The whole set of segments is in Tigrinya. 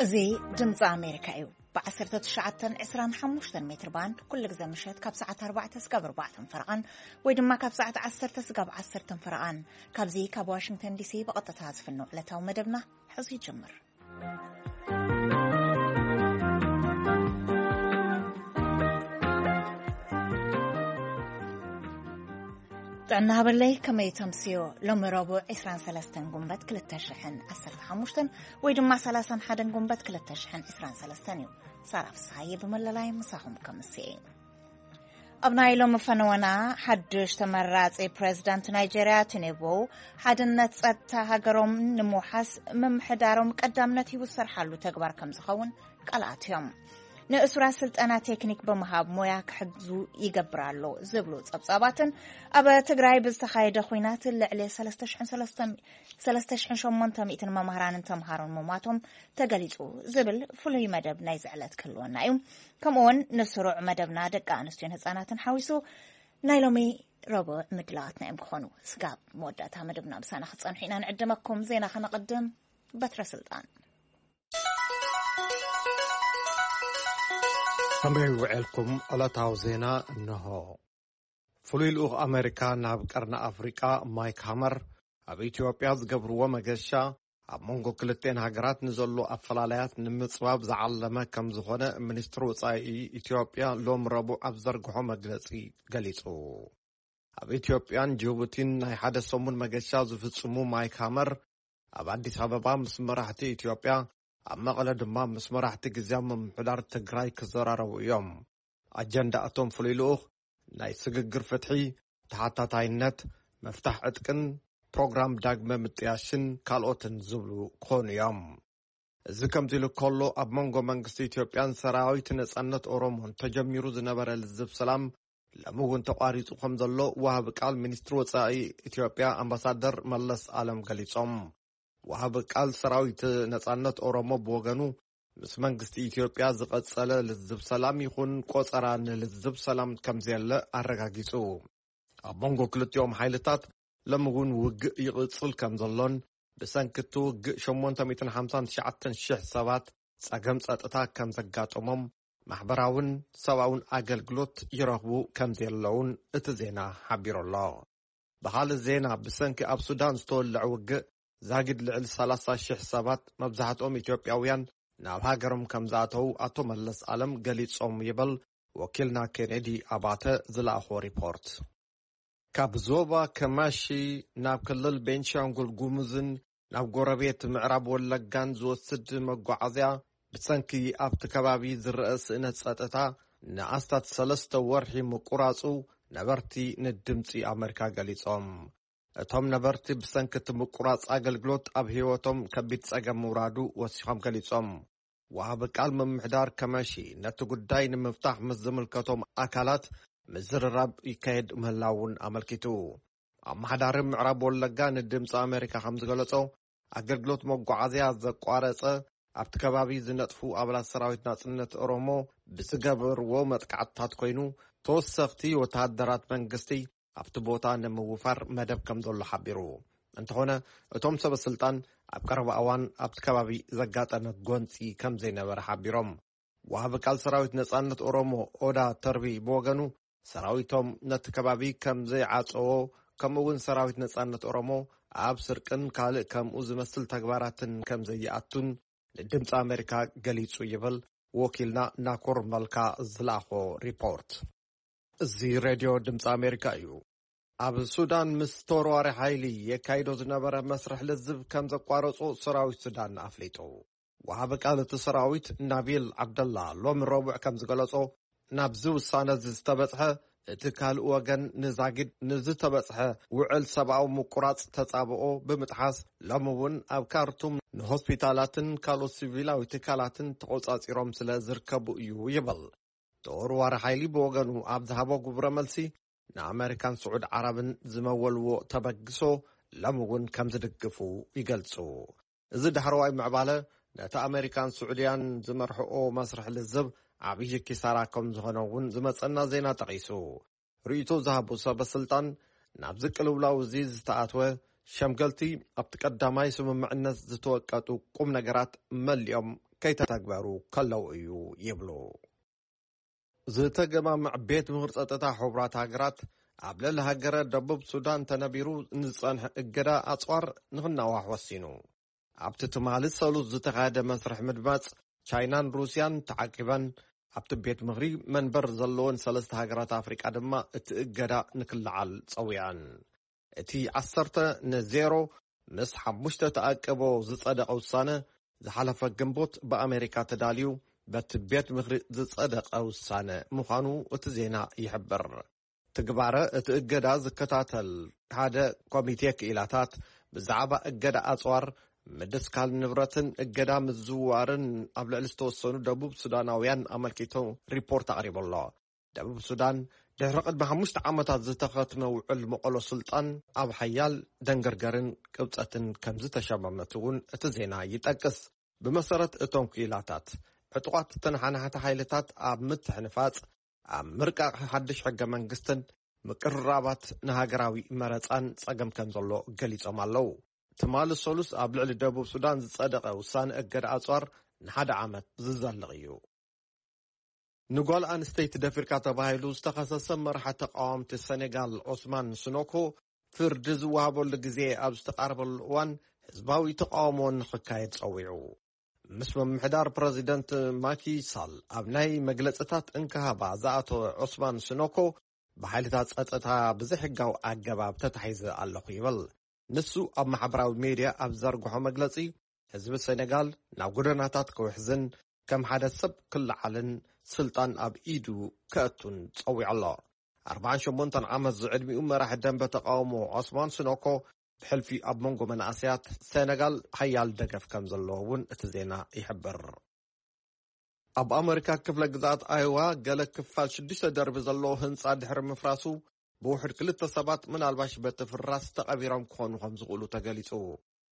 እዚ ድምፂ ኣሜሪካ እዩ። ብ19 25 ሜትር ባንድ ኩሉ ግዜ ምሸት ካብ ሰዓት ኣርባዕተ ስጋብ ኣርባዕተን ፈረቓን፣ ወይ ድማ ካብ ሰዓት ዓሰርተ ስጋብ ዓሰርተን ፈረቓን፣ ካብዚ ካብ ዋሽንግተን ዲሲ ብቐጥታ ዝፍኖ ዕለታዊ መደብና ሕዚ ይጅምር። ጥዕና ሃበለይ፣ ከመይ ተምስዮ? ሎሚ ረቡዕ 23 ጉንበት 2015፣ ወይ ድማ 31 ጉንበት 2023 እዩ። ሳራ ፍስሃየ ብመለላይ ምሳኹም ከምስየ። ኣብ ናይ ሎሚ ፈነወና፣ ሓድሽ ተመራጺ ፕሬዝዳንት ናይጄርያ ቲኒቡ፣ ሓድነት ጸጥታ ሃገሮም ንምውሓስ ምምሕዳሮም ቀዳምነት ሂቡ ዝሰርሓሉ ተግባር ከም ዝኸውን ቃል ኣትዮም። ንእሱራት ስልጠና ቴክኒክ ብምሃብ ሞያ ክሕግዙ ይገብር ኣሎ ዝብሉ ጸብጻባትን፣ ኣብ ትግራይ ብዝተኻየደ ኹናት ልዕሊ 3,800 መምህራንን ተምሃሮን ምሟቶም ተገሊጹ ዝብል ፍሉይ መደብ ናይ ዝዕለት ክህልወና እዩ። ከምኡውን ንስሩዕ መደብና ደቂ ኣንስትዮን ህጻናትን ሓዊሱ ናይ ሎሚ ረቡዕ ምድላዋትና እዮም ክኾኑ። ስጋብ መወዳእታ መደብና ምሳና ክጸንሑ ኢና ንዕድመኩም። ዜና ከነቐድም። በትረ ስልጣን። ከመይ ውዕልኩም? ዕለታዊ ዜና እንሆ። ፍሉይ ልኡኽ ኣሜሪካ ናብ ቀርኒ ኣፍሪቃ ማይክ ሃመር ኣብ ኢትዮጵያ ዝገብርዎ መገሻ፣ ኣብ መንጎ ክልቴን ሃገራት ንዘሎ ኣፈላላያት ንምጽባብ ዝዓለመ ከም ዝኾነ ሚኒስትሪ ወጻኢ ኢትዮጵያ ሎም ረቡዕ ኣብ ዘርግሖ መግለጺ ገሊጹ። ኣብ ኢትዮጵያን ጅቡቲን ናይ ሓደ ሰሙን መገሻ ዝፍጽሙ ማይክ ሃመር፣ ኣብ ኣዲስ ኣበባ ምስ መራሕቲ ኢትዮጵያ፣ ኣብ መቐለ ድማ ምስ መራሕቲ ግዝያዊ ምምሕዳር ትግራይ ክዘራረቡ እዮም። ኣጀንዳ እቶም ፍሉይ ልኡኽ ናይ ስግግር ፍትሒ፣ ተሓታታይነት፣ ምፍታሕ ዕጥቅን ፕሮግራም ዳግመ ምጥያሽን ካልኦትን ዝብሉ ክኾኑ እዮም። እዚ ከምዚ ኢሉ ከሎ፣ ኣብ መንጎ መንግስቲ ኢትዮጵያን ሰራዊት ነጻነት ኦሮሞን ተጀሚሩ ዝነበረ ልዝብ ሰላም ሎሚ እውን ተቋሪጹ ከም ዘሎ ወሃቢ ቃል ሚኒስትሪ ወጻኢ ኢትዮጵያ ኣምባሳደር መለስ ኣለም ገሊጾም። ወሃቢ ቃል ሰራዊት ነጻነት ኦሮሞ ብወገኑ፣ ምስ መንግስቲ ኢትዮጵያ ዝቐጸለ ልዝብ ሰላም ይኹን ቆጸራ ንልዝብ ሰላም ከም ዘየለ ኣረጋጊጹ። ኣብ መንጎ ክልቲኦም ሓይልታት ሎሚ እውን ውግእ ይቕጽል ከም ዘሎን፣ ብሰንኪ እቲ ውግእ 859,000 ሰባት ጸገም ጸጥታ ከም ዘጋጠሞም፣ ማሕበራውን ሰብኣውን ኣገልግሎት ይረኽቡ ከም ዘለውን እቲ ዜና ሓቢሩ ኣሎ። ብኻልእ ዜና፣ ብሰንኪ ኣብ ሱዳን ዝተወልዐ ውግእ ዛጊድ ልዕሊ 30,000 ሰባት፣ መብዛሕትኦም ኢትዮጵያውያን፣ ናብ ሃገሮም ከም ዝኣተዉ ኣቶ መለስ ኣለም ገሊጾም ይብል ወኪልና ኬኔዲ ኣባተ ዝለኣኾ ሪፖርት። ካብ ዞባ ከማሺ ናብ ክልል ቤንሻንጉል ጉሙዝን ናብ ጎረቤት ምዕራብ ወለጋን ዝወስድ መጓዓዝያ፣ ብሰንኪ ኣብቲ ከባቢ ዝረአ ስእነት ጸጥታ ንኣስታት ሰለስተ ወርሒ ምቁራጹ ነበርቲ ንድምጺ ኣመሪካ ገሊጾም። እቶም ነበርቲ ብሰንኪ እቲ ምቁራጽ ኣገልግሎት ኣብ ህይወቶም ከቢድ ጸገም ምውራዱ ወሲኾም ገሊጾም። ወሃቢ ቃል ምምሕዳር ከመሺ ነቲ ጉዳይ ንምፍታሕ ምስ ዝምልከቶም ኣካላት ምዝርራብ ይካየድ ምህላውን ኣመልኪቱ። ኣመሓዳሪ ምዕራብ ወለጋ ንድምፂ ኣሜሪካ ከም ዝገለጾ፣ ኣገልግሎት መጓዓዝያ ዘቋረጸ፣ ኣብቲ ከባቢ ዝነጥፉ ኣባላት ሰራዊት ናጽነት ኦሮሞ ብዝገበርዎ መጥቃዕትታት ኮይኑ፣ ተወሰኽቲ ወተሃደራት መንግስቲ ኣብቲ ቦታ ንምውፋር መደብ ከም ዘሎ ሓቢሩ። እንተኾነ፣ እቶም ሰበ ስልጣን ኣብ ቀረባ እዋን ኣብቲ ከባቢ ዘጋጠመ ጎንፂ ከም ዘይነበረ ሓቢሮም። ወሃቢ ቃል ሰራዊት ነጻነት ኦሮሞ ኦዳ ተርቢ ብወገኑ፣ ሰራዊቶም ነቲ ከባቢ ከም ዘይዓጸዎ፣ ከምኡ እውን ሰራዊት ነጻነት ኦሮሞ ኣብ ስርቅን ካልእ ከምኡ ዝመስል ተግባራትን ከም ዘይኣቱን ንድምፂ ኣሜሪካ ገሊጹ ይብል ወኪልና ናኮር መልካ ዝለኣኾ ሪፖርት። እዚ ሬድዮ ድምፂ ኣሜሪካ እዩ። ኣብ ሱዳን ምስ ተወርዋሪ ሓይሊ የካይዶ ዝነበረ መስርሕ ልዝብ ከም ዘቋረጾ ሰራዊት ሱዳን ኣፍሊጡ። ወሃቢ ቃል እቲ ሰራዊት ናቢል ዓብደላ ሎሚ ረቡዕ ከም ዝገለጾ፣ ናብዚ ውሳነ እዚ ዝተበጽሐ፣ እቲ ካልእ ወገን ንዛጊድ ንዝተበጽሐ ውዕል ሰብኣዊ ምቁራጽ ተጻብኦ ብምጥሓስ፣ ሎሚ እውን ኣብ ካርቱም ንሆስፒታላትን ካልኦት ሲቪላዊ ትካላትን ተቖጻጺሮም ስለ ዝርከቡ እዩ ይብል። ተወርዋሪ ሓይሊ ብወገኑ ኣብ ዝሃቦ ግብረ መልሲ፣ ንኣመሪካን ስዑድ ዓረብን ዝመወልዎ ተበግሶ ሎም እውን ከም ዝድግፉ ይገልጹ። እዚ ዳሕረዋይ ምዕባለ፣ ነቲ ኣመሪካን ስዑድያን ዝመርሕኦ መስርሕ ልዝብ ዓብዪ ኪሳራ ከም ዝኾነ እውን ዝመጸና ዜና ጠቒሱ። ርእይቶ ዝሃቡ ሰበ ስልጣን፣ ናብዚ ቅልውላው እዚ ዝተኣትወ ሸምገልቲ ኣብቲ ቀዳማይ ስምምዕነት ዝተወቀጡ ቁም ነገራት መሊኦም ከይተተግበሩ ከለዉ እዩ ይብሉ። ዝተገማምዕ ቤት ምኽሪ ጸጥታ ሕቡራት ሃገራት ኣብ ልዕሊ ሃገረ ደቡብ ሱዳን ተነቢሩ ንዝጸንሐ እገዳ ኣጽዋር ንኽናዋሕ ወሲኑ። ኣብቲ ትማሊ ሰሉስ ዝተኻየደ መስርሕ ምድማጽ፣ ቻይናን ሩስያን ተዓቂበን ኣብቲ ቤት ምኽሪ መንበር ዘለወን ሰለስተ ሃገራት ኣፍሪቃ ድማ እቲ እገዳ ንክለዓል ጸዊዐን። እቲ ዓሰርተ ንዜሮ ምስ ሓሙሽተ ተኣቅቦ ዝጸደቐ ውሳነ፣ ዝሓለፈ ግንቦት ብኣሜሪካ ተዳልዩ በቲ ቤት ምኽሪ ዝጸደቐ ውሳነ ምዃኑ እቲ ዜና ይሕብር። ትግባረ እቲ እገዳ ዝከታተል ሓደ ኮሚቴ ክኢላታት ብዛዕባ እገዳ ኣጽዋር፣ ምድስካል ንብረትን እገዳ ምዝውዋርን ኣብ ልዕሊ ዝተወሰኑ ደቡብ ሱዳናውያን ኣመልኪቱ ሪፖርት ኣቕሪቡ ኣሎ። ደቡብ ሱዳን ድሕሪ ቅድሚ ሓሙሽተ ዓመታት ዝተኸትመ ውዕል መቐሎ ስልጣን ኣብ ሓያል ደንገርገርን ቅብጸትን ከም ዝተሸመመት እውን እቲ ዜና ይጠቅስ። ብመሰረት እቶም ክኢላታት፣ ዕጡቓት ተነሓናሕቲ ሓይልታት ኣብ ምትሕንፋጽ፣ ኣብ ምርቃቕ ሓድሽ ሕገ መንግስትን ምቅርራባት ንሃገራዊ መረጻን ጸገም ከም ዘሎ ገሊጾም ኣለዉ። ትማሊ ሰሉስ ኣብ ልዕሊ ደቡብ ሱዳን ዝጸደቐ ውሳነ እገዳ ኣጽዋር ንሓደ ዓመት ዝዘልቕ እዩ። ንጓል ኣንስተይቲ ደፊርካ ተባሂሉ ዝተኸሰሰ መራሒ ተቃወምቲ ሰኔጋል ኦስማን ስኖኮ ፍርዲ ዝወሃበሉ ግዜ ኣብ ዝተቃረበሉ እዋን ህዝባዊ ተቃውሞ ንኽካየድ ጸዊዑ። ምስ ምምሕዳር ፕረዚደንት ማኪ ሳል ኣብ ናይ መግለጽታት እንክሃባ ዝኣተወ ዑስማን ስኖኮ፣ ብሓይልታት ጸጥታ ብዘይሕጋዊ ኣገባብ ተታሒዘ ኣለኹ ይብል። ንሱ ኣብ ማሕበራዊ ሜድያ ኣብ ዘርግሖ መግለጺ፣ ህዝቢ ሰኔጋል ናብ ጎደናታት ክውሕዝን ከም ሓደ ሰብ ክለዓልን ስልጣን ኣብ ኢዱ ከእቱን ጸዊዑ ኣሎ። ኣርባዓን ሸሞንተን ዓመት ዝዕድሚኡ መራሒ ደንበ ተቃውሞ ዖስማን ስኖኮ፣ ብሕልፊ ኣብ መንጎ መናእሰያት ሰነጋል ሓያል ደገፍ ከም ዘለዎ እውን እቲ ዜና ይሕብር። ኣብ ኣመሪካ ክፍለ ግዝኣት ኣይዋ፣ ገለ ክፋል ሽዱሽተ ደርቢ ዘለዎ ህንጻ ድሕሪ ምፍራሱ፣ ብውሕድ ክልተ ሰባት ምናልባሽ በቲ ፍራስ ተቐቢሮም ክኾኑ ከም ዝኽእሉ ተገሊጹ።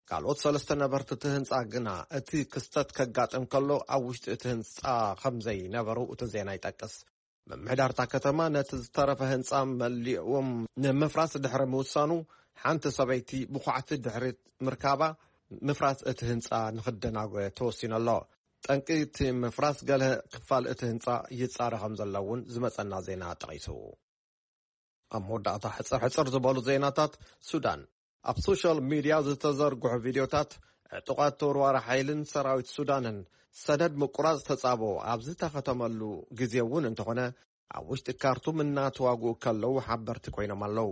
ካልኦት ሰለስተ ነበርቲ እቲ ህንጻ ግና፣ እቲ ክስተት ከጋጥም ከሎ ኣብ ውሽጢ እቲ ህንጻ ከም ዘይነበሩ እቲ ዜና ይጠቅስ። ምምሕዳር እታ ከተማ ነቲ ዝተረፈ ህንጻ መሊእዎም ንምፍራስ ድሕሪ ምውሳኑ፣ ሓንቲ ሰበይቲ ብዃዕቲ ድሕሪ ምርካባ፣ ምፍራስ እቲ ህንጻ ንኽደናጎ ተወሲኑ ኣሎ። ጠንቂ እቲ ምፍራስ ገለ ክፋል እቲ ህንጻ ይጻረ ከም ዘሎ እውን ዝመጸና ዜና ጠቒሱ። ኣብ መወዳእታ፣ ሕጽር ሕጽር ዝበሉ ዜናታት ሱዳን። ኣብ ሶሻል ሚድያ ዝተዘርግሑ ቪድዮታት፣ ዕጡቓት ተወርዋሪ ሓይልን ሰራዊት ሱዳንን ሰደድ ምቁራጽ ተጻብኦ ኣብ ዝተኸተመሉ ግዜ እውን እንተኾነ፣ ኣብ ውሽጢ ካርቱም እናተዋግኡ ከለዉ ሓበርቲ ኮይኖም ኣለዉ።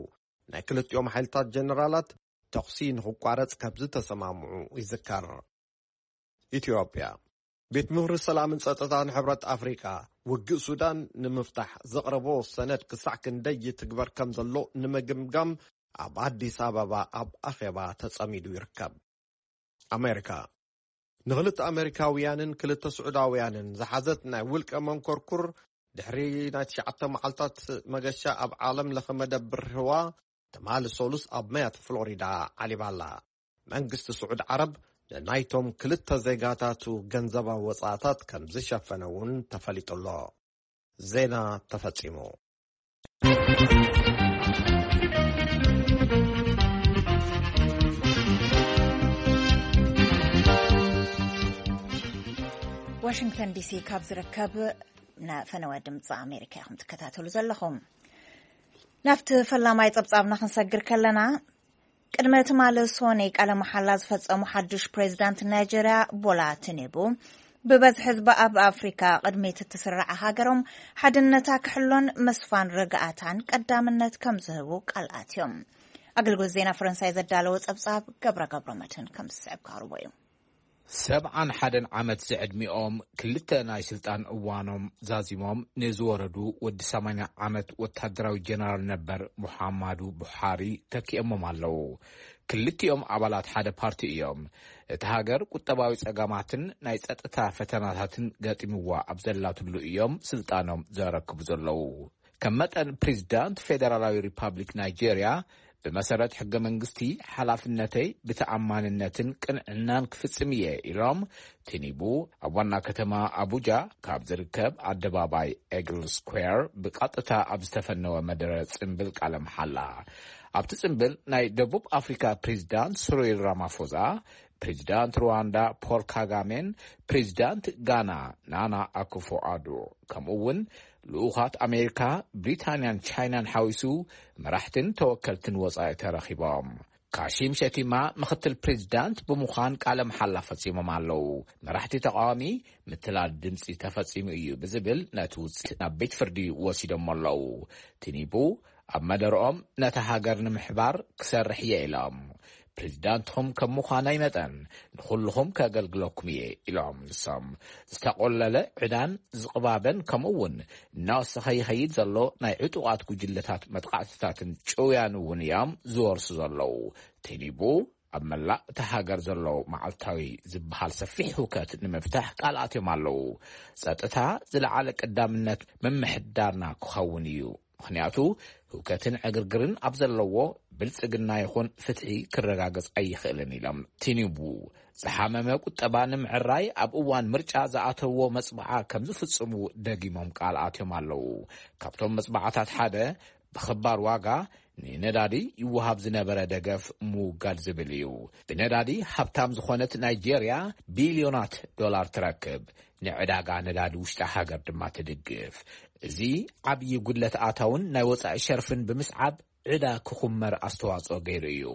ናይ ክልቲኦም ሓይልታት ጀነራላት ተኹሲ ንኽቋረጽ ከም ዝተሰማምዑ ይዝከር። ኢትዮጵያ። ቤት ምኽሪ ሰላምን ጸጥታን ሕብረት ኣፍሪቃ፣ ውግእ ሱዳን ንምፍታሕ ዘቕረቦ ሰነድ ክሳዕ ክንደይ ይትግበር ከም ዘሎ ንምግምጋም ኣብ ኣዲስ ኣበባ ኣብ ኣኼባ ተጸሚዱ ይርከብ። ኣሜሪካ። ንኽልተ ኣሜሪካውያንን ክልተ ስዑዳውያንን ዝሓዘት ናይ ውልቀ መንኮርኩር፣ ድሕሪ ናይ ትሽዓተ መዓልታት መገሻ ኣብ ዓለም ለኸ መደብር ህዋ፣ ትማሊ ሰሉስ ኣብ ማያት ፍሎሪዳ ዓሊባ ኣላ። መንግስቲ ስዑድ ዓረብ ንናይቶም ክልተ ዜጋታቱ ገንዘባዊ ወጻእታት ከም ዝሸፈነ እውን ተፈሊጡ ኣሎ። ዜና ተፈጺሙ። ዋሽንግተን ዲሲ ካብ ዝርከብ ንፈነወ ድምፂ ኣሜሪካ ኢኹም ትከታተሉ ዘለኹም። ናብቲ ፈላማይ ጸብጻብና ክንሰግር ከለና፣ ቅድሚ ትማሊ ሶኒ ቃለ መሓላ ዝፈጸሙ ሓዱሽ ፕሬዚዳንት ናይጀርያ ቦላ ቲኒቡ፣ ብበዝሒ ህዝቢ ኣብ ኣፍሪካ ቅድሚት እትስራዕ ሃገሮም ሓድነታ ክሕሎን ምስፋን ርግኣታን ቀዳምነት ከም ዝህቡ ቃል ኣትዮም። ኣገልግሎት ዜና ፈረንሳይ ዘዳለዎ ጸብጻብ ገብረ ገብረ መድህን ከም ዝስዕብ ክቐርቦ እዩ። ሰብዓን ሓደን ዓመት ዝዕድሚኦም፣ ክልተ ናይ ስልጣን እዋኖም ዛዚሞም ንዝወረዱ ወዲ ሰማንያ ዓመት ወታደራዊ ጀነራል ነበር ሙሓማዱ ቡሓሪ ተኪኦሞም ኣለዉ። ክልቲኦም ኣባላት ሓደ ፓርቲ እዮም። እቲ ሃገር ቁጠባዊ ጸገማትን ናይ ጸጥታ ፈተናታትን ገጢምዋ ኣብ ዘላትሉ እዮም ስልጣኖም ዘረክቡ ዘለዉ። ከም መጠን ፕሬዚዳንት ፌደራላዊ ሪፓብሊክ ናይጄርያ፣ ብመሰረት ሕገ መንግስቲ፣ ሓላፍነተይ ብተኣማንነትን ቅንዕናን ክፍጽም እየ ኢሎም፣ ቲኒቡ ኣብ ዋና ከተማ ኣቡጃ ካብ ዝርከብ ኣደባባይ ኤግል ስኩዌር ብቐጥታ ኣብ ዝተፈነወ መደረ ጽምብል ቃለ መሓላ። ኣብቲ ጽምብል ናይ ደቡብ ኣፍሪካ ፕሬዚዳንት ስሪል ራማፎዛ፣ ፕሬዚዳንት ሩዋንዳ ፖል ካጋሜን ፕሬዚዳንት ጋና ናና ኣኩፎ ኣዶ፣ ከምኡ እውን ልኡኻት ኣሜሪካ፣ ብሪታንያን ቻይናን ሓዊሱ መራሕትን ተወከልትን ወጻኢ ተረኺቦም። ካሺም ሸቲማ ምኽትል ፕሬዚዳንት ብምዃን ቃለ መሓላ ፈጺሞም ኣለዉ። መራሕቲ ተቃዋሚ ምትላል ድምፂ ተፈጺሙ እዩ ብዝብል ነቲ ውፅኢት ናብ ቤት ፍርዲ ወሲዶሞ ኣለዉ። ቲኒቡ ኣብ መደርኦም ነታ ሃገር ንምሕባር ክሰርሕ እየ ኢሎም። ፕሬዚዳንትኹም ከም ምዃናይ መጠን ንኹልኹም ከገልግለኩም እየ ኢሎም። ንሶም ዝተቆለለ ዕዳን ዝቕባበን ከምኡ እውን እናወሰኸ ይኸይድ ዘሎ ናይ ዕጡቓት ጉጅለታት መጥቃዕትታትን ጭውያን እውን እዮም ዝወርሱ ዘለዉ። ቲኒቡ ኣብ መላእ እታ ሃገር ዘሎ መዓልታዊ ዝበሃል ሰፊሕ ህውከት ንምፍታሕ ቃል ኣትዮም ኣለዉ። ጸጥታ ዝለዓለ ቀዳምነት ምምሕዳርና ክኸውን እዩ፣ ምኽንያቱ ህውከትን ዕግርግርን ኣብ ዘለዎ ብልጽግና ይኹን ፍትሒ ክረጋገጽ ኣይኽእልን ኢሎም። ቲኒቡ ዝሓመመ ቁጠባ ንምዕራይ ኣብ እዋን ምርጫ ዝኣተዎ መጽብዓ ከም ዝፍጽሙ ደጊሞም ቃል ኣትዮም ኣለዉ። ካብቶም መጽብዓታት ሓደ ብኽባር ዋጋ ንነዳዲ ይወሃብ ዝነበረ ደገፍ ምውጋድ ዝብል እዩ። ብነዳዲ ሃብታም ዝኾነት ናይጄርያ ቢልዮናት ዶላር ትረክብ፣ ንዕዳጋ ነዳዲ ውሽጢ ሃገር ድማ ትድግፍ። እዚ ዓብዪ ጉድለት ኣታውን ናይ ወጻኢ ሸርፍን ብምስዓብ ዕዳ ክኹመር ኣስተዋጽኦ ገይሩ እዩ።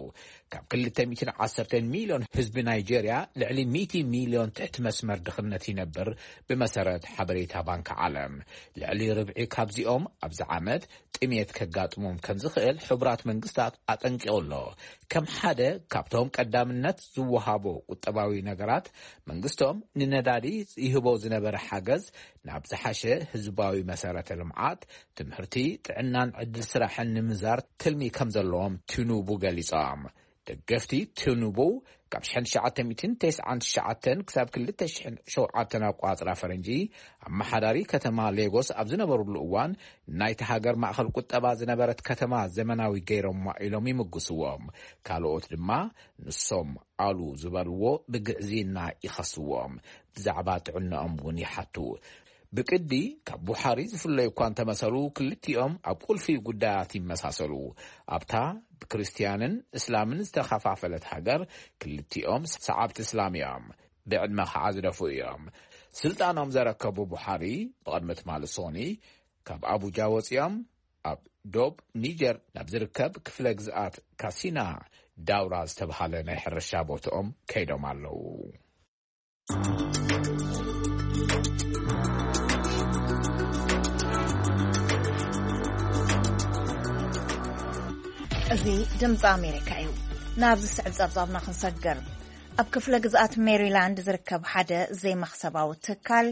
ካብ ክልተ ሚእትን ዓሰርተን ሚልዮን ህዝቢ ናይጄርያ ልዕሊ ሚእቲ ሚልዮን ትሕቲ መስመር ድኽነት ይነብር፣ ብመሰረት ሓበሬታ ባንክ ዓለም። ልዕሊ ርብዒ ካብዚኦም ኣብዚ ዓመት ጥሜት ከጋጥሞም ከም ዝኽእል ሕቡራት መንግስታት ኣጠንቂቑ ኣሎ። ከም ሓደ ካብቶም ቀዳምነት ዝወሃቦ ቁጠባዊ ነገራት፣ መንግስቶም ንነዳዲ ይህቦ ዝነበረ ሓገዝ ናብ ዝሓሸ ህዝባዊ መሰረተ ልምዓት፣ ትምህርቲ፣ ጥዕናን ዕድል ስራሕን ንምዛር ትልሚ ከም ዘለዎም ቲኑቡ ገሊጾም። ደገፍቲ ቲኑቡ ካብ ሽሕን ትሽዓተ ሚእትን ተስዓን ትሽዓተን ክሳብ ክልተ ሽሕን ሸውዓተን ኣቋጽራ ፈረንጂ ኣመሓዳሪ ከተማ ሌጎስ ኣብ ዝነበሩሉ እዋን፣ ናይቲ ሃገር ማእኸል ቁጠባ ዝነበረት ከተማ ዘመናዊ ገይሮማ ኢሎም ይምጉስዎም። ካልኦት ድማ ንሶም ኣሉ ዝበልዎ ብግዕዝይና ይኸስዎም። ብዛዕባ ጥዕናኦም እውን ይሓቱ። ብቅዲ ካብ ቡሓሪ ዝፍለዩ እኳ እንተመሰሉ፣ ክልቲኦም ኣብ ቁልፊ ጉዳያት ይመሳሰሉ። ኣብታ ብክርስትያንን እስላምን ዝተኸፋፈለት ሃገር፣ ክልቲኦም ሰዓብቲ እስላም እዮም። ብዕድመ ኸዓ ዝደፍኡ እዮም። ስልጣኖም ዘረከቡ ቡሓሪ ብቕድሚ ትማሊ ሶኒ ካብ ኣቡጃ ወፂኦም ኣብ ዶብ ኒጀር ናብ ዝርከብ ክፍለ ግዝኣት ካሲና ዳውራ ዝተብሃለ ናይ ሕርሻ ቦትኦም ከይዶም ኣለዉ። እዚ ድምፂ ኣሜሪካ እዩ። ናብዚ ስዕብ ጸብጻብና ክንሰግር፣ ኣብ ክፍለ ግዝኣት ሜሪላንድ ዝርከብ ሓደ ዘይመኽሰባዊ ትካል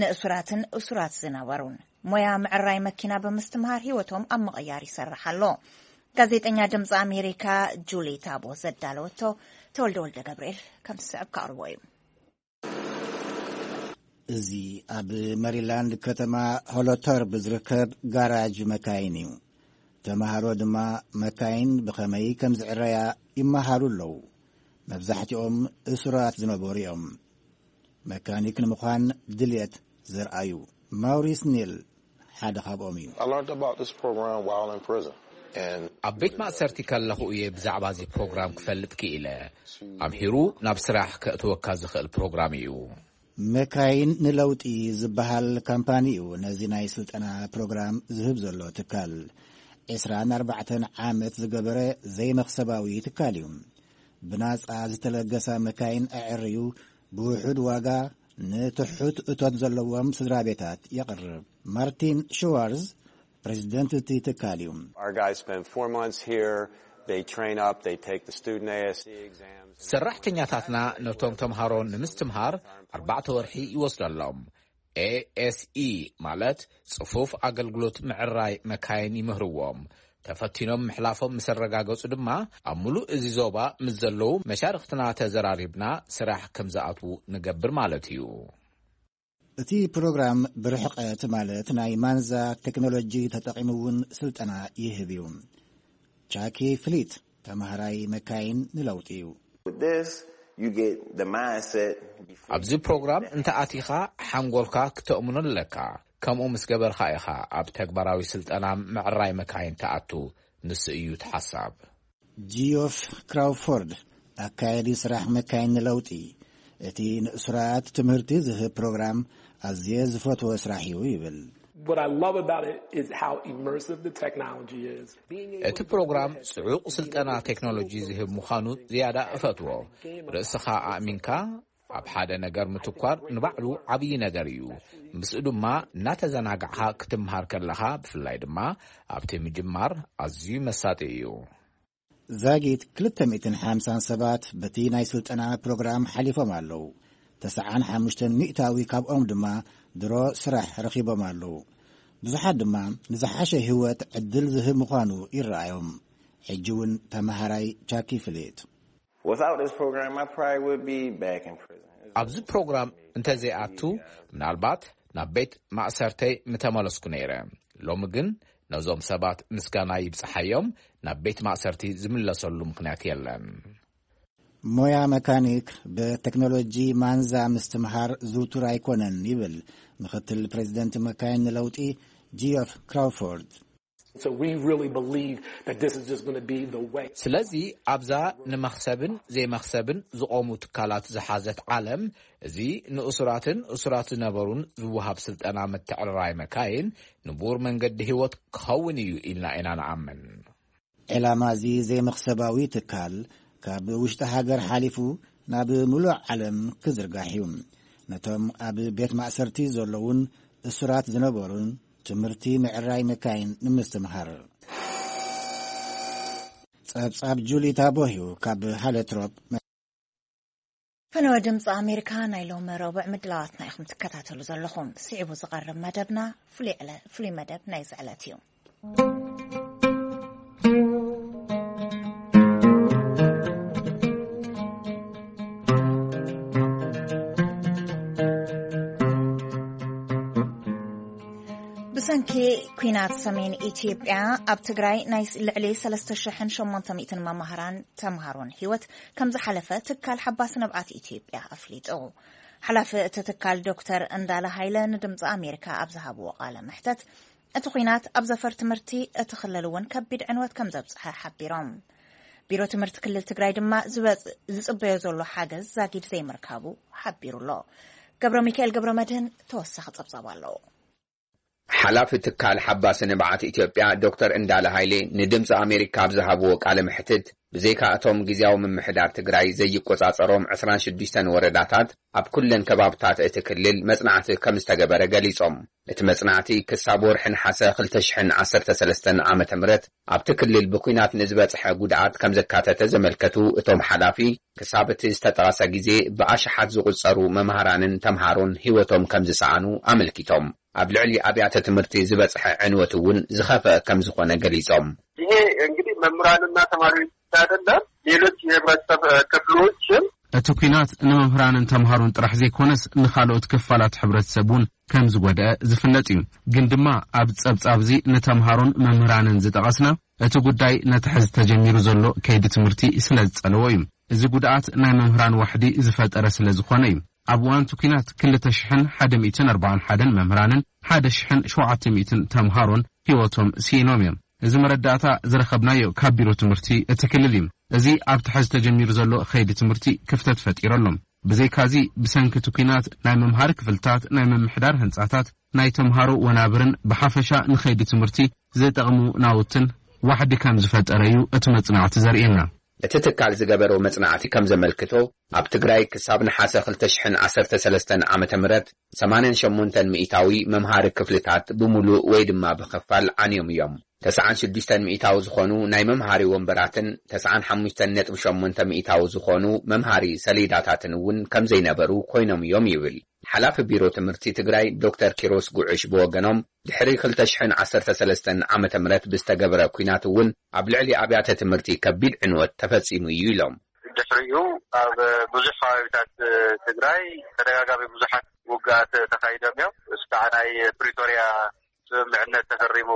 ንእሱራትን እሱራት ዝነበሩን ሞያ ምዕራይ መኪና ብምስትምሃር ህይወቶም ኣብ ምቕያር ይሰርሕ ኣሎ። ጋዜጠኛ ድምፂ ኣሜሪካ ጁሊ ታቦ ዘዳለወቶ ተወልደ ወልደ ገብርኤል ከም ዝስዕብ ከቕርቦ እዩ። እዚ ኣብ መሪላንድ ከተማ ሆሎተርብ ዝርከብ ጋራጅ መካይን እዩ። ተምሃሮ ድማ መካይን ብኸመይ ከም ዝዕረያ ይመሃሩ ኣለዉ። መብዛሕትኦም እሱራት ዝነበሩ እዮም። መካኒክ ንምዃን ድልየት ዘርኣዩ። ማውሪስ ኒል ሓደ ካብኦም እዩ። I learned about this program while in prison. And ኣብ ቤት ማእሰርቲ ከለኹ እየ ብዛዕባ እዚ ፕሮግራም ክፈልጥ ክኢለ። ኣምሂሩ ናብ ስራሕ ከእትወካ ዝኽእል ፕሮግራም እዩ። መካይን ንለውጢ ዝበሃል ካምፓኒ እዩ ነዚ ናይ ስልጠና ፕሮግራም ዝህብ ዘሎ ትካል። ዕስራን ኣርባዕተን ዓመት ዝገበረ ዘይመኽሰባዊ ትካል እዩ። ብናጻ ዝተለገሳ መካይን ኣዕርዩ ብውሑድ ዋጋ ንትሑት እቶት ዘለዎም ስድራ ቤታት የቕርብ። ማርቲን ሽዋርዝ ፕሬዚደንት እቲ ትካል እዩ። Our guys spend four months here. They train up, they take the student A S E exams. ሰራሕተኛታትና ነቶም ተምሃሮ ንምስትምሃር ኣርባዕተ ወርሒ ይወስደሎም። ኤኤስኢ ማለት ጽፉፍ ኣገልግሎት ምዕራይ መካይን ይምህርዎም። ተፈቲኖም ምሕላፎም ምስ ኣረጋገጹ ድማ ኣብ ምሉእ እዚ ዞባ ምስ ዘለዉ መሻርኽትና ተዘራሪብና ስራሕ ከም ዝኣትዉ ንገብር ማለት እዩ። እቲ ፕሮግራም ብርሕቀት ማለት ናይ ማንዛ ቴክኖሎጂ ተጠቒሙ እውን ስልጠና ይህብ እዩ። ቻኪ ፍሊት ተማሃራይ መካይን ንለውጢ እዩ። With this, you get the mindset. ኣብዚ ፕሮግራም እንተ ኣቲኻ ሓንጎልካ ክተእምኖ ኣለካ። ከምኡ ምስ ገበርካ ኢኻ ኣብ ተግባራዊ ስልጠና ምዕራይ መካይን ትኣቱ። ንሱ እዩ እቲ ሓሳብ። ጂዮፍ ክራውፎርድ ኣካየዲ ስራሕ መካይን ንለውጢ፣ እቲ ንእሱራት ትምህርቲ ዝህብ ፕሮግራም ኣዝየ ዝፈትዎ ስራሕ እዩ ይብል። What I love about it is how immersive the technology is. እቲ ፕሮግራም ጽዑቕ ስልጠና ቴክኖሎጂ ዝህብ ምዃኑ ዝያዳ እፈትዎ። ርእስኻ ኣእሚንካ ኣብ ሓደ ነገር ምትኳር ንባዕሉ ዓብዪ ነገር እዩ። ምስኡ ድማ እናተዘናጋዕካ ክትምሃር ከለኻ፣ ብፍላይ ድማ ኣብቲ ምጅማር፣ ኣዝዩ መሳጢ እዩ። ዛጊት ክልተ ሚእትን ሓምሳን ሰባት በቲ ናይ ስልጠና ፕሮግራም ሓሊፎም ኣለዉ። ተስዓን ሓሙሽተን ሚእታዊ ካብኦም ድማ ድሮ ስራሕ ረኺቦም ኣለዉ። ብዙሓት ድማ ንዝሓሸ ህይወት ዕድል ዝህብ ምዃኑ ይረኣዮም። ሕጂ እውን ተመሃራይ ቻኪ ፍሌት። Without this program, I probably would be back in prison. ኣብዚ ፕሮግራም እንተዘይኣቱ፣ ምናልባት ናብ ቤት ማእሰርተይ ምተመለስኩ ነይረ። ሎሚ ግን ነዞም ሰባት ምስጋና ይብጽሓዮም፣ ናብ ቤት ማእሰርቲ ዝምለሰሉ ምኽንያት የለን። ሞያ መካኒክ ብቴክኖሎጂ ማንዛ ምስትምሃር ዝውቱር ኣይኮነን ይብል ምኽትል ፕሬዚደንት መካይን ንለውጢ ጂኦፍ ክራውፎርድ። So we really believe that this is just going to be the way. ስለዚ ኣብዛ ንመኽሰብን ዘይመኽሰብን ዝቖሙ ትካላት ዝሓዘት ዓለም፣ እዚ ንእሱራትን እሱራት ዝነበሩን ዝወሃብ ስልጠና ምትዕርራይ መካይን ንቡር መንገዲ ህይወት ክኸውን እዩ ኢልና ኢና ንኣምን። ዕላማ እዚ ዘይመኽሰባዊ ትካል ካብ ውሽጢ ሃገር ሓሊፉ ናብ ምሉእ ዓለም ክዝርጋሕ እዩ። ነቶም ኣብ ቤት ማእሰርቲ ዘለዉን እሱራት ዝነበሩን ትምህርቲ ምዕራይ መካይን ንምስትምሃር። ጸብጻብ ጁሊ ታቦህዩ ካብ ሃለትሮፕ። ፈነወ ድምፂ ኣሜሪካ ናይ ሎሚ ረቡዕ ምድላዋትና ኢኹም ትከታተሉ ዘለኹም። ስዒቡ ዝቐርብ መደብና ፍሉይ ዕለ-፣ ፍሉይ መደብ ናይዚ ዕለት እዩ። ብሰንኪ ኲናት ሰሜን ኢትዮጵያ ኣብ ትግራይ ናይ ልዕሊ ሰለስተ ሽሕን ሸሞንተ ሚእትን መማህራን ተምሃሮን ህይወት ከም ዝሓለፈ ትካል ሓባሲ ንብዓት ኢትዮጵያ ኣፍሊጡ። ሓላፊ እቲ ትካል ዶክተር እንዳለ ሃይለ ንድምፂ ኣሜሪካ ኣብ ዝሃብዎ ቃለ መሕተት፣ እቲ ኲናት ኣብ ዘፈር ትምህርቲ እቲ ክልል እውን ከቢድ ዕንወት ከም ዘብፅሐ ሓቢሮም። ቢሮ ትምህርቲ ክልል ትግራይ ድማ ዝበፅ-፣ ዝፅበዮ ዘሎ ሓገዝ ዛጊድ ዘይምርካቡ ሓቢሩ ኣሎ። ገብረ ሚካኤል ገብረ መድህን ተወሳኺ ፀብፃብ ኣለዎ። ሓላፊ ትካል ሓባሲ ንብዓት ኢትዮጵያ ዶክተር እንዳለ ሃይሌ ንድምፂ ኣሜሪካ ኣብ ዝሃብዎ ቃለ መሕትት፣ ብዘይካ እቶም ግዝያዊ ምምሕዳር ትግራይ ዘይቆጻጸሮም ዕስራን ሽዱሽተን ወረዳታት፣ ኣብ ኩለን ከባብታት እቲ ክልል መጽናዕቲ ከም ዝተገበረ ገሊጾም። እቲ መጽናዕቲ ክሳብ ወርሒ ነሓሰ ክልተ ሽሕን ዓሰርተ ሰለስተን ዓመተ ምህረት ኣብቲ ክልል ብኲናት ንዝበጽሐ ጉድኣት ከም ዘካተተ ዘመልከቱ እቶም ሓላፊ፣ ክሳብ እቲ ዝተጠቐሰ ግዜ ብኣሽሓት ዝቑጸሩ መምሃራንን ተምሃሮን ህይወቶም ከም ዝሰኣኑ ኣመልኪቶም። ኣብ ልዕሊ ኣብያተ ትምህርቲ ዝበጽሐ ዕንወት እውን ዝኸፍአ ከም ዝኾነ ገሊጾም። ይሄ እንግዲህ መምህራንና ተማሪዎች ብቻ አይደለም፣ ሌሎች የህብረተሰብ ክፍሎችም። እቲ ኲናት ንመምህራንን ተምሃሮን ጥራሕ ዘይኮነስ፣ ንኻልኦት ክፋላት ሕብረተሰብ እውን ከም ዝጎድአ ዝፍለጥ እዩ። ግን ድማ ኣብ ጸብጻብ እዚ ንተምሃሮን መምህራንን ዝጠቐስና፣ እቲ ጉዳይ ነቲ ሕዚ ተጀሚሩ ዘሎ ከይዲ ትምህርቲ ስለ ዝጸለዎ እዩ። እዚ ጉድኣት ናይ መምህራን ዋሕዲ ዝፈጠረ ስለ ዝኾነ እዩ። ኣብ እዋን እቲ ኲናት ክልተ ሽሕን ሓደ ሚእትን ኣርባዓን ሓደን መምህራንን ሓደ ሽሕን ሸውዓተ ሚእትን ተምሃሮን ህይወቶም ስኢኖም እዮም። እዚ መረዳእታ ዝረኸብናዮ ካብ ቢሮ ትምህርቲ እቲ ክልል እዩ። እዚ ኣብቲ ሕዚ ተጀሚሩ ዘሎ ከይዲ ትምህርቲ ክፍተት ፈጢሩ ኣሎ። ብዘይካዚ፣ ብሰንኪ እቲ ኲናት ናይ መምሃሪ ክፍልታት፣ ናይ ምምሕዳር ህንጻታት፣ ናይ ተምሃሮ ወናብርን ብሓፈሻ ንኸይዲ ትምህርቲ ዝጠቕሙ ናውትን ዋሕዲ ከም ዝፈጠረ እዩ እቲ መጽናዕቲ ዘርእየና። እቲ ትካል ዝገበሮ መጽናዕቲ ከም ዘመልክቶ፣ ኣብ ትግራይ ክሳብ ነሓሰ ክልተ ሽሕን ዓሰርተ ሰለስተን ዓመተ ምህረት ሰማንያን ሸሞንተን ሚእታዊ መምሃሪ ክፍልታት ብምሉእ ወይ ድማ ብኽፋል ዓንዮም እዮም። ተስዓን ሽዱሽተን ሚእታዊ ዝኾኑ ናይ መምሃሪ ወንበራትን ተስዓን ሓሙሽተን ነጥቢ ሸሞንተ ሚእታዊ ዝኾኑ መምሃሪ ሰሌዳታትን እውን ከም ዘይነበሩ ኮይኖም እዮም ይብል። ሓላፊ ቢሮ ትምህርቲ ትግራይ ዶክተር ኪሮስ ጉዕሽ ብወገኖም፣ ድሕሪ ክልተ ሽሕን ዓሰርተ ሰለስተን ዓመተ ምህረት ብዝተገበረ ኲናት እውን ኣብ ልዕሊ ኣብያተ ትምህርቲ ከቢድ ዕንወት ተፈጺሙ እዩ ኢሎም። ድሕሪኡ ኣብ ብዙሕ ከባቢታት ትግራይ ተደጋጋሚ ብዙሓት ውግኣት ተኻይዶም እዮም። እስካዕ ናይ ፕሪቶርያ ስምምዕነት ተፈሪሙ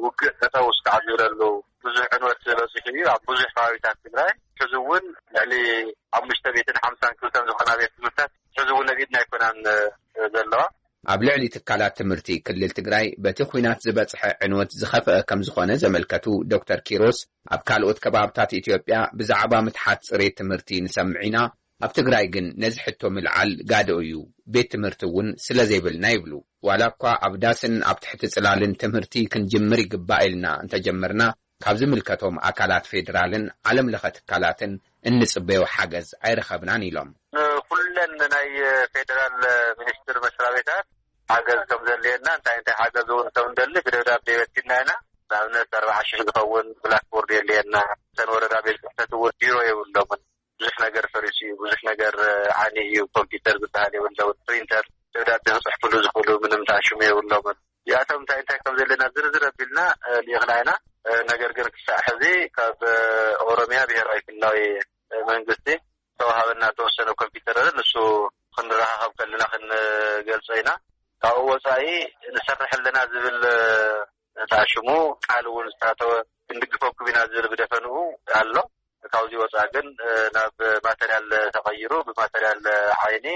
ውግእ ጠጠው እስካዕ ዝብለሉ ብዙሕ ዕንወት በፂሑ እዩ ኣብ ብዙሕ ከባቢታት ትግራይ። ሕዚ እውን ልዕሊ ሓሙሽተ ሚእትን ሓምሳን ክልተን ዝኾና ቤት ትምህርትታት ሕዚ እውን ኣብ ኢድና ኣይኮናን ዘለዋ። ኣብ ልዕሊ ትካላት ትምህርቲ ክልል ትግራይ በቲ ኲናት ዝበፅሐ ዕንወት ዝኸፍአ ከም ዝኾነ ዘመልከቱ ዶክተር ኪሮስ፣ ኣብ ካልኦት ከባብታት ኢትዮጵያ ብዛዕባ ምትሓት ፅሬት ትምህርቲ ንሰምዕ ኢና፣ ኣብ ትግራይ ግን ነዚ ሕቶ ምልዓል ጋደኡ እዩ፣ ቤት ትምህርቲ እውን ስለ ዘይብልና ይብሉ። ዋላ እኳ ኣብ ዳስን ኣብ ትሕቲ ፅላልን ትምህርቲ ክንጅምር ይግባእ ኢልና እንተጀመርና፣ ካብ ዝምልከቶም ኣካላት ፌዴራልን ዓለም ለኸ ትካላትን እንፅበዮ ሓገዝ ኣይረኸብናን ኢሎም። ንኩለን ናይ ፌዴራል ሚኒስትር መስሪያ ቤታት ሓገዝ ከም ዘድልየና፣ እንታይ እንታይ ሓገዝ እውን ከም እንደሊ ብደብዳቤ በቲና ኢና። ንኣብነት ኣርባዓ ሽሕ ዝኸውን ብላክቦርድ የድልየና። እተን ወረዳ ቤት ጽሕፈት እውን ቢሮ የብሎምን። ብዙሕ ነገር ፈሪሱ እዩ። ብዙሕ ነገር ዓኒ እዩ። ኮምፒውተር ዝበሃል የብሎምን። ፕሪንተር፣ ደብዳቤ ክጽሕፍሉ ዝኽእሉ ምንም ተኣሽሙ የብሎምን። እዚኣቶም እንታይ እንታይ ከም ዘለና ዝርዝር ኣቢልና ልኢኽና ኢና። ነገር ግን ክሳዕ ሕዚ ካብ ኦሮሚያ ብሄራዊ ክልላዊ መንግስቲ ዝተዋሃበና ዝተወሰነ ኮምፒውተር ኣሎ። ንሱ ክንረኻኸብ ከለና ክንገልጾ ኢና። ካብኡ ወጻኢ ንሰርሕ ኣለና ዝብል ተኣሽሙ ቃል እውን ዝተኣተወ ክንድግፈኩም ኢና ዝብል ብደፈንኡ ኣሎ። ካብዚ ወጻኢ ግን ናብ ማተርያል ተቐይሩ ብማተርያል ዓይኒ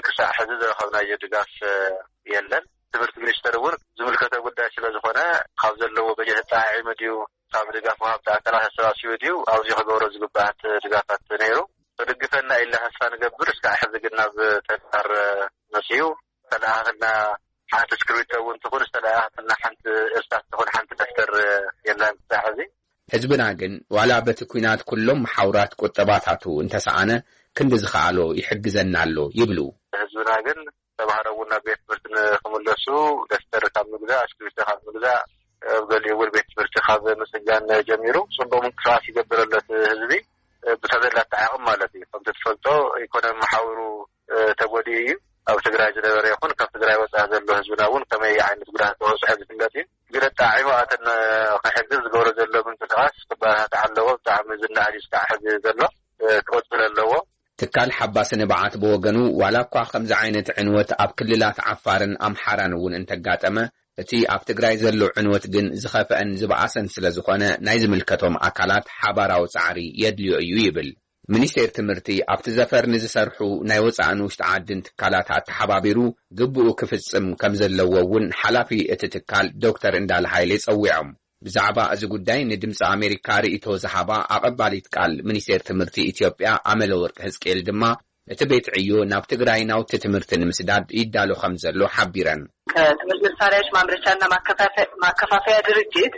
ክሳዕ ሕዚ ዝረኸብናዮ ድጋፍ የለን። ትምህርቲ ሚኒስቴር እውን ዝምልከቶ ጉዳይ ስለ ዝኾነ ካብ ዘለዎ በጀት ኣጠዓዒሙ ድዩ ካብ ድጋፍ ወሃብቲ ኣካላት ኣሰባሲቡ ድዩ ኣብዚ ክገብሮ ዝግብኣት ድጋፋት ነይሩ። ክድግፈና ኢልና ተስፋ ንገብር። እስካዕ ሕዚ ግን ናብ ተግባር መፅዩ ዝተለኣኸልና ሓንቲ እስክሪብቶ እውን ትኹን ዝተለኣኸልና ሓንቲ እርሳስ ትኹን ሓንቲ ደፍተር የለን ክሳዕ ሕዚ። ህዝብና ግን ዋላ በቲ ኲናት ኩሎም መሓውራት ቁጠባታቱ እንተሰኣነ ክንዲ ዝኸኣሎ ይሕግዘና ኣሎ ይብሉ። ህዝብና ግን ተምሃሮ እውን ናብ ቤት ትምህርቲ ንክምለሱ ደፍተር ካብ ምግዛእ፣ እስክሪብቶ ካብ ምግዛእ፣ ኣብ ገሊኡ እውን ቤት ትምህርቲ ካብ ምጽጋን ጀሚሩ ጽቡቕ ምንቅስቃስ ይገብር ኣሎ እቲ ህዝቢ ብተዘላቲ ዓቕም ማለት እዩ። ከምቲ ትፈልጦ ኢኮኖሚ መሓውሩ ተጎዲኡ እዩ። ኣብ ትግራይ ዝነበረ ይኹን ካብ ትግራይ ወፃኢ ዘሎ ህዝብና እውን ከመይ ዓይነት ጉድኣት ዝበፅሖ ዝፍለጥ እዩ። ግን ኣጣዒሙ ኣተን ክሕግዝ ዝገብሮ ዘሎ ምንቅስቃስ ክበረታታዕ ኣለዎ። ብጣዕሚ ዝነኣድ እዩ እስካዕ ሕዚ ዘሎ፣ ክቕፅል ኣለዎ። ትካል ሓባሲ ንብዓት ብወገኑ ዋላ እኳ ከምዚ ዓይነት ዕንወት ኣብ ክልላት ዓፋርን ኣምሓራን እውን እንተጋጠመ፣ እቲ ኣብ ትግራይ ዘሎ ዕንወት ግን ዝኸፍአን ዝበኣሰን ስለ ዝኾነ ናይ ዝምልከቶም ኣካላት ሓባራዊ ፃዕሪ የድልዮ እዩ ይብል። ሚኒስቴር ትምህርቲ ኣብቲ ዘፈር ንዝሰርሑ ናይ ወፃእን ውሽጢ ዓድን ትካላት ኣተሓባቢሩ ግብኡ ክፍፅም ከም ዘለዎ እውን ሓላፊ እቲ ትካል ዶክተር እንዳለ ሃይሌ ፀዊዖም። ብዛዕባ እዚ ጉዳይ ንድምፂ ኣሜሪካ ርእይቶ ዝሃባ ኣቐባሊት ቃል ሚኒስቴር ትምህርቲ ኢትዮጵያ ኣመለወርቅ ህዝቅኤል ድማ እቲ ቤት ዕዮ ናብ ትግራይ ናውቲ ትምህርቲ ንምስዳድ ይዳሎ ከም ዘሎ ሓቢረን። ከትምህርት መሳሪያዎች ማምረቻና ማከፋፈያ ድርጅት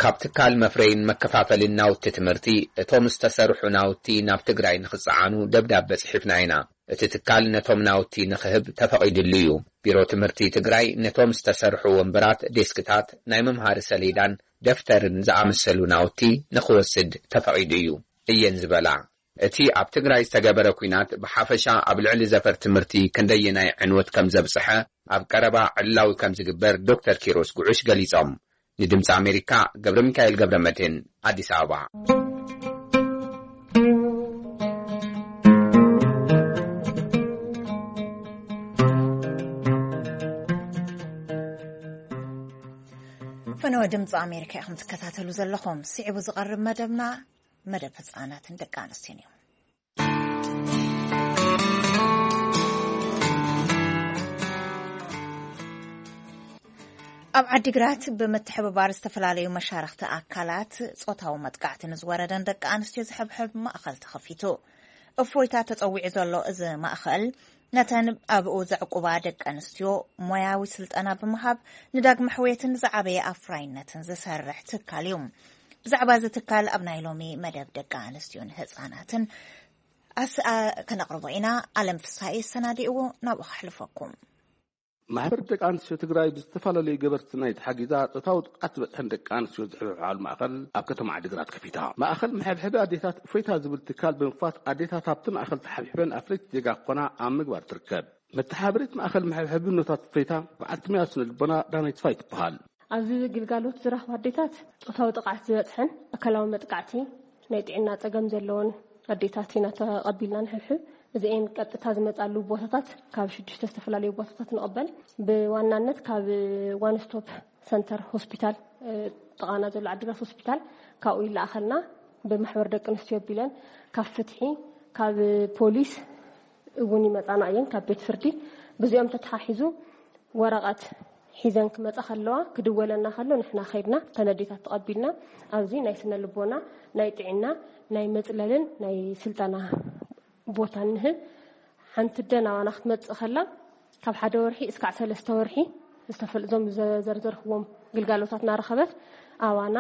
ካብ ትካል መፍረይን መከፋፈልን ናውቲ ትምህርቲ እቶም ዝተሰርሑ ናውቲ ናብ ትግራይ ንክፀዓኑ ደብዳበ ፅሒፍና ኢና። እቲ ትካል ነቶም ናውቲ ንክህብ ተፈቒድሉ እዩ። ቢሮ ትምህርቲ ትግራይ ነቶም ዝተሰርሑ ወንበራት፣ ዴስክታት፣ ናይ መምሃሪ ሰሌዳን ደፍተርን ዝኣመሰሉ ናውቲ ንክወስድ ተፈቒዱ እዩ እየን ዝበላ። እቲ ኣብ ትግራይ ዝተገበረ ኲናት ብሓፈሻ ኣብ ልዕሊ ዘፈር ትምህርቲ ክንደየናይ ዕንወት ከም ዘብፅሐ ኣብ ቀረባ ዕላዊ ከም ዝግበር ዶክተር ኪሮስ ጉዑሽ ገሊፆም። ንድምፂ ኣሜሪካ ገብረ ሚካኤል ገብረ መድህን ኣዲስ ኣበባ። ፈነወ ድምፂ ኣሜሪካ ኢኹም ትከታተሉ ዘለኹም። ስዒቡ ዝቐርብ መደብና መደብ ህፃናትን ደቂ ኣንስትዮን እዩ። ኣብ ዓዲግራት ብምትሕብባር ዝተፈላለዩ መሻርኽቲ ኣካላት ጾታዊ መጥቃዕቲ ንዝወረደን ደቂ ኣንስትዮ ዝሕብሕብ ማእኸል ተኸፊቱ። እፎይታ ተጸዊዑ ዘሎ እዚ ማእኸል ነተን ኣብኡ ዘዕቁባ ደቂ ኣንስትዮ ሞያዊ ስልጠና ብምሃብ ንዳግመ ሕውየትን ዝዓበየ ኣፍራይነትን ዝሰርሕ ትካል እዩ። ብዛዕባ እዚ ትካል ኣብ ናይ ሎሚ መደብ ደቂ ኣንስትዮን ህፃናትን ኣስኣ ከነቕርቦ ኢና። ኣለም ፍስሃ እዩ ሰናዲእዎ፣ ናብኡ ከሕልፈኩም። ማሕበር ደቂ ኣንስትዮ ትግራይ ብዝተፈላለዩ ገበርቲ ናይ ተሓጊዛ ጾታዊ ጥቕዓት ዝበፅሐን ደቂ ኣንስትዮ ዝሕብሕባሉ ማእኸል ኣብ ከተማ ዓዲግራት ከፊታ። ማእኸል መሐብሐቢ ኣዴታት እፎይታ ዝብል ትካል ብምኽፋት ኣዴታት ኣብቲ ማእኸል ተሓብሒበን ኣፍረይቲ ዜጋ ክኾና ኣብ ምግባር ትርከብ። መተሓባበሪት ማእኸል መሐብሐቢ ኖታት እፎይታ በዓልቲ ሞያ ስነ ልቦና ዳናይት ተስፋይ ትበሃል። ኣብዚ ግልጋሎት ዝረኽባ ኣዴታት ጾታዊ ጥቕዓት ዝበፅሐን ኣካላዊ መጥቃዕቲ ናይ ጥዕና ጸገም ዘለዎን ኣዴታት ኢና ተቐቢልና ንሕብሕብ። እዚኤን ቀጥታ ዝመጻሉ ቦታታት ካብ ሽዱሽተ ዝተፈላለዩ ቦታታት ንቕበል። ብዋናነት ካብ ዋን ስቶፕ ሰንተር ሆስፒታል፣ እ፣ ጥቓና ዘሎ ዓዲግራት ሆስፒታል ካብኡ ይለኣኸልና። ብማሕበር ደቂ ኣንስትዮ ኣቢለን ካብ ፍትሒ፣ ካብ ፖሊስ እውን ይመጻና እየን፣ ካብ ቤት ፍርዲ። ብዚኦም ተተሓሒዙ ወረቐት ሒዘን ክመጻ ከለዋ፣ ክድወለና ከሎ ንሕና ከይድና ተነዴታት ተቐቢልና፣ ኣብዚ ናይ ስነ ልቦና፣ ናይ ጥዕና፣ ናይ መጽለልን ናይ ስልጠና ቦታ ንህብ። ሓንቲ ኣደ ናባና ክትመጽእ ከላ፣ ካብ ሓደ ወርሒ እስካዕ ሰለስተ ወርሒ ዝተፈል-፣ እዞም ዘዘርዘርክዎም ግልጋሎታት እናረኸበት ኣባና፣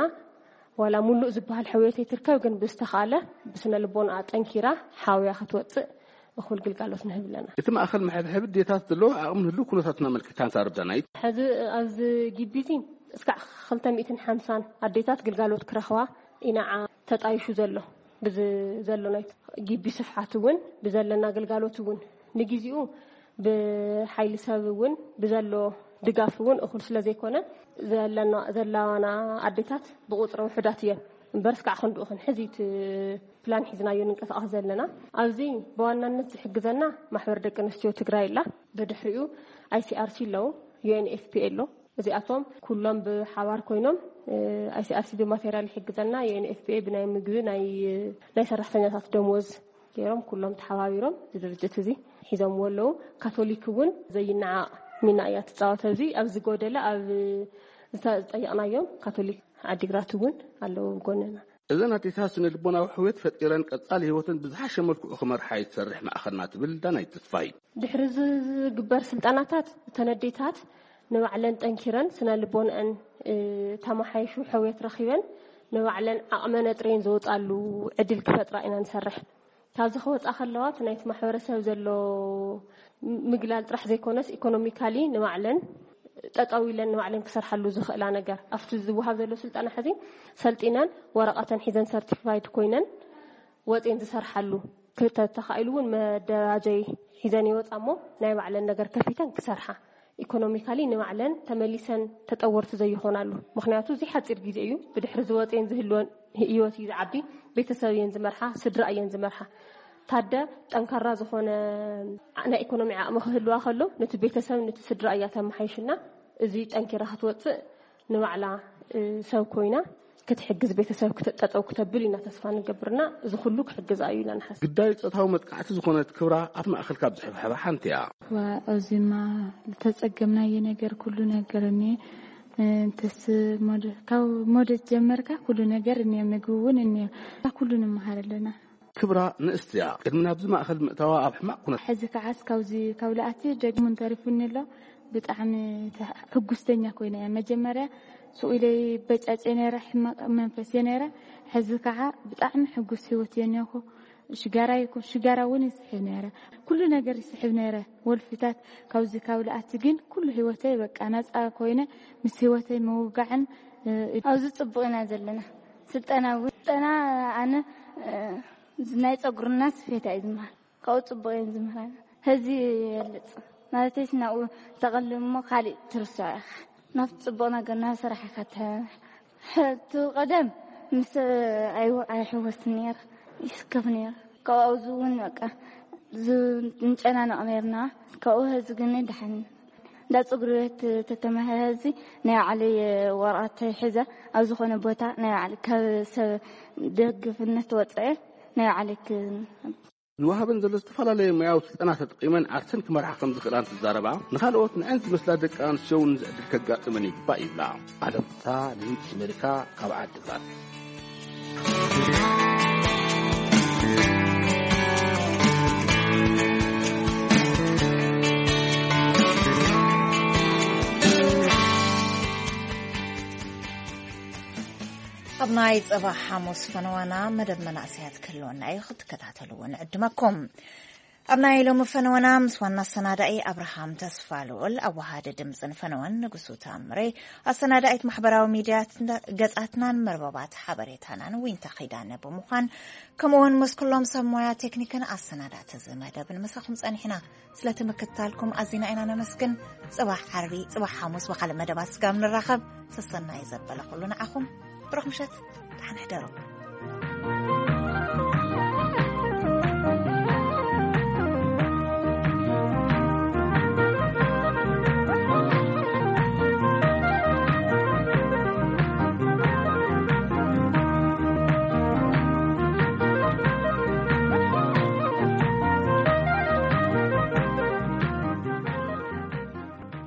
ዋላ ሙሉእ ዝበሃል ሕውየት ኣይትርከብ፣ ግን ብዝተኻለ ብስነ ልቦና ጠንኪራ ሓውያ ክትወጽእ እኹል ግልጋሎት ንህብ ኣለና። እቲ ማእኸል መሐብሐቢ ድሌታት ዘለዎ ዓቕሚ ንህልው ኩነታትና ኣመልኪታ ንዛረብ ዳናይት። ሕዚ ኣብዚ ግቢ እዚ እስካዕ ክልተ ሚእትን ሓምሳን ኣዴታት ግልጋሎት ክረኽባ ኢናዓ ተጣይሹ ዘሎ። ብዚ ዘሎ ናይ ግቢ ስፍሓት እውን፣ ብዘለና ግልጋሎት እውን፣ ንግዜኡ ብሓይሊ ሰብ እውን፣ ብዘሎ ድጋፍ እውን እኹል ስለ ዘይኮነ፣ ዘለና፣ ዘላዋና ኣዴታት ብቁፅሪ ውሑዳት እየን። እምበር እስካዕ ክንድኡ ክንሕዝ እቲ ፕላን ሒዝናዮ ንንቀሳቐስ ዘለና። ኣብዚ ብዋናነት ዝሕግዘና ማሕበር ደቂ ኣንስትዮ ትግራይ ኣላ። ብድሕሪኡ ኣይሲኣርሲ ኣለዉ፣ ዩ ኤን ኤፍ ፒ ኤ ኣሎ። እዚኣቶም ኩሎም ብሓባር ኮይኖም፣ እ፣ ኣይሲኣርሲ ብማቴሪያል ይሕግዘና፣ ዩ ኤን ኤፍ ፒ ኤ ብናይ ምግቢ፣ ናይ፣ ናይ ሰራሕተኛታት ደሞዝ ገይሮም፣ ኩሎም ተሓባቢሮም እዚ ድርጅት እዚ ሒዞምዎ ኣለዉ። ካቶሊክ እውን ዘይነዓቕ ሚና እያ ትፃወት። ኣብዚ፣ ኣብ ዝጎደለ፣ ኣብ ዝተ-፣ ዝጠየቕናዮም ካቶሊክ ዓዲግራት እውን ኣለዉ ጎንና። እዘን ኣዴታት ስነ ልቦናዊ ሕውየት ፈጢረን ቀጻሊ ህይወተን ብዝሓሸ መልክዑ ክመርሓ እዩ ትሰርሕ ማእኸልና ትብል ዳናይት ተስፋይ። ድሕሪ ዝ-፣ ዝግበር ስልጠናታት እተን ኣዴታት ንባዕለን ጠንኪረን ስነ ልቦንአን፣ እ፣ ተመሓይሹ ሕውየት ረኺበን ንባዕለን ዓቕመን ኣጥርየን ዝወጻሉ ዕድል ክፈጥራ ኢና ንሰርሕ። ካብዚ ክወጻ ከለዋ እቲ ናይቲ ማሕበረሰብ ዘሎ ምግላል ጥራሕ ዘይኮነስ ኢኮኖሚካሊ ንባዕለን ጠጠው ኢለን ንባዕለን ክሰርሓሉ ዝኽእላ ነገር ኣብቲ ዝወሃብ ዘሎ ስልጠና ሕዚ ሰልጢነን ወረቐተን ሒዘን ሰርቲፋይድ ኮይነን ወፅየን ዝሰርሓሉ ክተ-፣ ተኻኢሉ እውን መደራጀይ ሒዘን ይወፃ እሞ ናይ ባዕለን ነገር ከፊተን ክሰርሓ ኢኮኖሚካሊ ንባዕለን ተመሊሰን ተጠወርቲ ዘይኾናሉ። ምክንያቱ እዚ ሓፂር ግዜ እዩ። ብድሕሪ ዝወፅየን ዝህልወን ህይወት እዩ ዝዓቢ። ቤተሰብ እየን ዝመርሓ፣ ስድራ እየን ዝመርሓ። ታደ ጠንካራ ዝኾነ ናይ ኢኮኖሚ ዓቕሚ ክህልዋ ከሎ ነቲ ቤተሰብ ነቲ ስድራ እያ ተመሓይሽና። እዚ ጠንኪራ ክትወፅእ ንባዕላ፣ እ፣ ሰብ ኮይና ክትሕግዝ ቤተሰብ ክተ-፣ ጠጠው ክተብል ኢና ተስፋ ንገብርና። እዚ ኩሉ ክሕግዛ እዩ ኢና ንሓስብ። ግዳይ ጾታዊ መጥቃዕቲ ዝኾነት ክብራ ኣብ ማእኸል ካብ ዝሕብሐባ ሓንቲ እያ። ዋ፣ ኣብዚማ ዝተጸገምናዮ ነገር ኩሉ ነገር እኒኤ። እንተስ ሞደ-፣ ካብ ሞደት ጀመርካ ኩሉ ነገር እኒኤ፣ ምግቢ እውን እኒኤ። ኩሉ ንምሃር ኣለና። ክብራ ንእስቲ እያ። ቅድሚ ናብዚ ማእኸል ምእታዋ ኣብ ሕማቕ ኩነት ሕዚ ከዓስ ካብዚ ካብ ለኣቲ ደግሙን ተሪፉኒ ኣሎ። ብጣዕሚ ተ-፣ ሕጉስተኛ ኮይነ እየ። መጀመርያ ስኡ ኢለ በጫጨ ነይረ፣ ሕማቕ መንፈስ እየ ነይረ። ሕዚ ከዓ ብጣዕሚ ሕጉስ ህይወት እየ እኒኦኹ። ሽጋራ ይኩ-፣ ሽጋራ እውን ይስሕብ ነይረ። ኩሉ ነገር ይስሕብ ነይረ። ወልፊታት ካብዚ ካብ ለኣቲ ግን ኩሉ ህይወተይ በቃ ነፃ ኮይነ ምስ ህይወተይ ምውጋዕን፣ እ፣ ኣብዚ ጽቡቕ ኢና ዘለና። ስልጠና እውን፣ ስልጠና ኣነ፣ እ፣ ናይ ጸጉርና ስፌት እዩ ዝመሃር። ካብኡ ጽቡቕ እየን ዝምህራና። ሕዚ የልጽ ማለተይስ ናብኡ ተቐልም እሞ ካሊእ ትርስዖ ኢኻ። ናብቲ ጽቡቕ ነገር ናብ ስራሕ ኢኻ ትሕ-፣ ሕቱ ቀደም ምስ ኣይው-፣ ኣይሕወስን ነይረ፣ ይስከፍ ነይረ። ካብኡ ኣብዚ እውን በቃ ዝ-፣ ንጨናነቕ ነይርና። ካብኡ ሕዚ ግን ደሓን እንዳ ጸጉሪ ቤት ተተማሂረ ሕዚ ናይ ባዕለይ ወረቐት ሒዘ ኣብ ዝኾነ ቦታ ናይ ባዕለ ካብ ሰብ ደግፍነት ወፀአ ናይ ባዕለይ ክ-፣ ዝወሃበን ዘሎ ዝተፈላለየ ሞያዊ ስልጠና ተጠቒመን ዓርሰን ክመርሓ ከም ዝኽእላ እንትዛረባ፣ ንኻልኦት ንዐን ዝመስላ ደቂ ኣንስትዮ እውን እዚ ዕድል ከጋጥመን ይግባእ ይብላ። ዓለም ፍስሃ፣ ንድምፂ ኣሜሪካ፣ ካብ ዓዲ ግራት። ኣብ ናይ ጽባሕ ሓሙስ ፈነዋና መደብ መናእሰያት ክህልወና እዩ፣ ክትከታተልዎ ንዕድመኩም። ኣብ ናይ ሎሚ ፈነወና ምስ ዋና ኣሰናዳኢ ኣብርሃም ተስፋ ልኡል፣ ኣወሃዲ ድምፅን ፈነወን ንጉሱ ታምሬ፣ ኣሰናዳኢት ማሕበራዊ ሚድያ ገጻትናን መርበባት ሓበሬታናን ዊንታ ኪዳነ ብምዃን፣ ከምኡውን ምስ ኩሎም ሰብ ሞያ ቴክኒክን ኣሰናዳእቲ እዚ መደብን ምሳኹም ጸኒሕና። ስለቲ ምክትታልኩም ኣዚና ኢና ነመስግን። ጽባሕ ዓርቢ፣ ጽባሕ ሓሙስ ብኻልእ መደባት ስጋብ ንራኸብ፣ ሰሰናዩ ዘበለ ኩሉ ንዓኹም። ብሩኽ ምሸት፣ ደሓን ሕደሩ።